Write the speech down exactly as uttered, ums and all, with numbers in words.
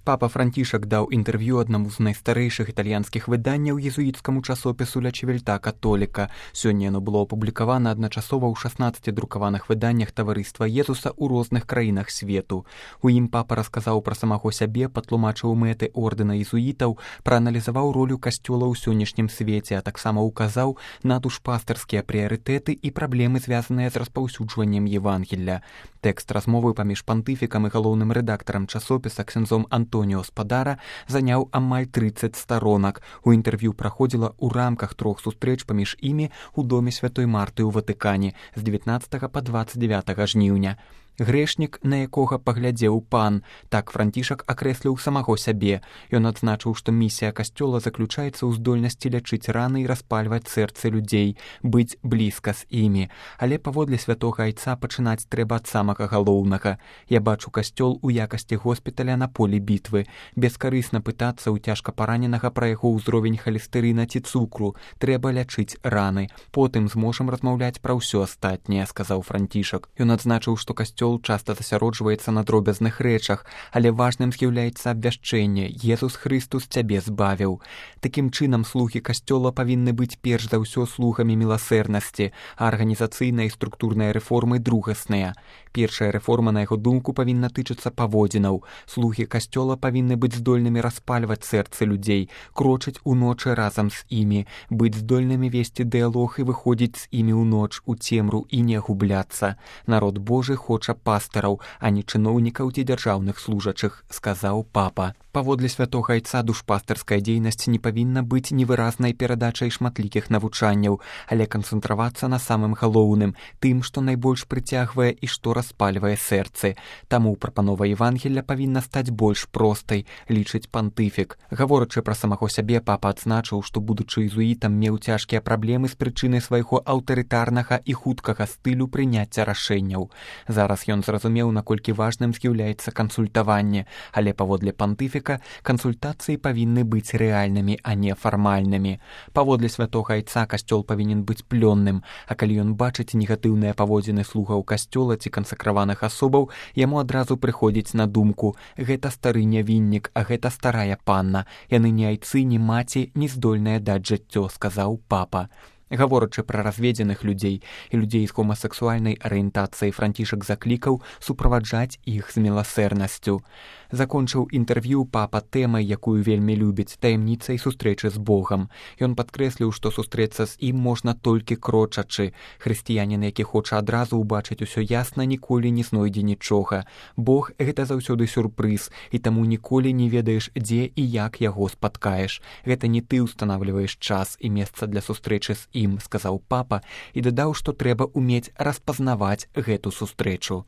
Папа Францішак даў інтэрв'ю аднаму з найстарэйшых італьянскіх выданняў езуіцкаму часопісу «Ля Чевельта Католіка». Сёння яно было апублікавана адначасова ў шаснаццаці друкаваных выданнях таварыства Езуса ў розных краінах свету. У ім папа расказаў пра самого сябе, патлумачыў мэты ордэна езуітаў, прааналізаваў ролю касцёла ў сённяшнім свеце, а таксама ўказаў на душпастырскія прыярытэты і праблемы, звязаныя з распаўсюджваннем Евангелля. Тэкст размовы паміж пантыфікам і галоўным рэдактарам часопіса ксяндзом Антоніо Спадара заняў амаль трыццаць старонак. У інтэрв'ю праходзіла ў рамках трох сустрэч паміж імі ў доме святой Марты ў Ватыкане з дзевятнаццатага па дваццаць дзявятага жніўня. Грэшнік, на якога паглядзеў пан, так Францішак акрэсліў самого сябе. Ён адзначыў, што місія касцёла заключаецца ў здольнасці лячыць раны і распальваць сэрцы людзей, быць блізка з імі. Але паводле святога айца пачынаць трэба ад самага галоўнага. Я бачу касцёл у якасці госпіталя на полі бітвы. Бескарысна пытацца ў цяжка параненага пра яго ўзровень халестэрына ці цукру. Трэба лячыць раны. Потым зможам размаўляць пра ўсё астатняе, сказаў Францішак. Ён адзначыў, што касцёл часта засяроджваецца на дробязных рэчах, але важным з'яўляецца абвяшчэнне «Езус Хрыстус цябе збавіў». Такім чынам, слугі касцёла павінны быць перш за ўсё слугамі міласэрнасці, а арганізацыйныя і структурныя рэформы другасныя. Першая рэформа, на яго думку, павінна тычыцца паводзінаў. Слугі касцёла павінны быць здольнымі распальваць сэрцы людзей, крочыць уночы разам з імі, быць здольнымі весці дыялог і выходзіць з імі ўноч у цемру і не губляцца. Народ Божы хоча пастараў, а не чыноўнікаў ці дзяржаўных служачых, сказаў папа. Паводле святога айца душпастарская дзейнасць не павінна быць невыразнай перадачай шматлікіх навучанняў, але канцэнтравацца на самым галоўным, тым, што найбольш прыцягвае і што распальвае сэрцы. Таму прапанова Евангелля павінна стаць больш простай, лічыць пантыфік. Гаворачы пра самого сябе, папа адзначыў, што, будучы езуітам, меў цяжкія праблемы з прычынай свайго аўтарытарнага і хуткага стылю прыняцця рашэнняў. Зараз ён зразумеў, наколькі важным з'яўляецца кансультаванне, але паводле пантыфіка кансультацыі павінны быць рэальнымі, а не фармальнымі. Паводле святога айца касцёл павінен быць плённым, а калі ён бачыць негатыўныя паводзіны слугаў касцёла ці кансакраваных асобаў, яму адразу прыходзіць на думку: гэта стары нявіннік, а гэта старая панна. Яны ні айцы, ні маці не здольныя даць жыццё, сказаў папа. Гаворачы пра разведзеных людзей і людзей з гомасексуальнай арыентацыяй, Францішак заклікаў суправаджаць іх з міласэрнасцю. Закончыў інтэрв'ю папа тэмай, якую вельмі любіць, таямніцай сустрэчы з Богам. Ён падкрэсліў, што сустрэцца з ім можна толькі крочачы. Хрысціянін, які хоча адразу ўбачыць усё ясна, ніколі не знойдзе нічога. Бог — гэта заўсёды сюрпрыз, і таму ніколі не ведаеш, дзе і як яго спаткаеш. Гэта не ты ўстанавліваеш час і месца для сустрэчы з ім, сказаў папа, і дадаў, што трэба ўмець распазнаваць гэту сустрэчу.